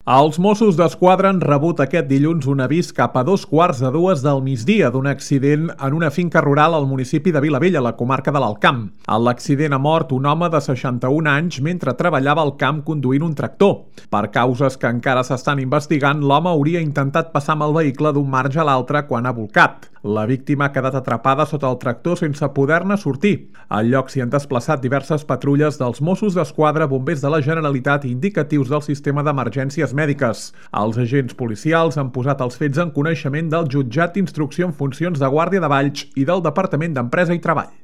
Els Mossos d'Esquadra han rebut aquest dilluns un avís cap a 2:15 del migdia d'un accident en una finca rural al municipi de Vilavella, a la comarca de l'Alt Camp. En l'accident ha mort un home de 61 anys mentre treballava al camp conduint un tractor. Per causes que encara s'estan investigant, l'home hauria intentat passar amb el vehicle d'un marge a l'altre quan ha bolcat. La víctima ha quedat atrapada sota el tractor sense poder-ne sortir. Al lloc s'hi han desplaçat diverses patrulles dels Mossos d'Esquadra, bombers de la Generalitat i indicatius del sistema d'emergències mèdiques. Els agents policials han posat els fets en coneixement del Jutjat d'Instrucció en Funcions de Guàrdia de Valls i del Departament d'Empresa i Treball.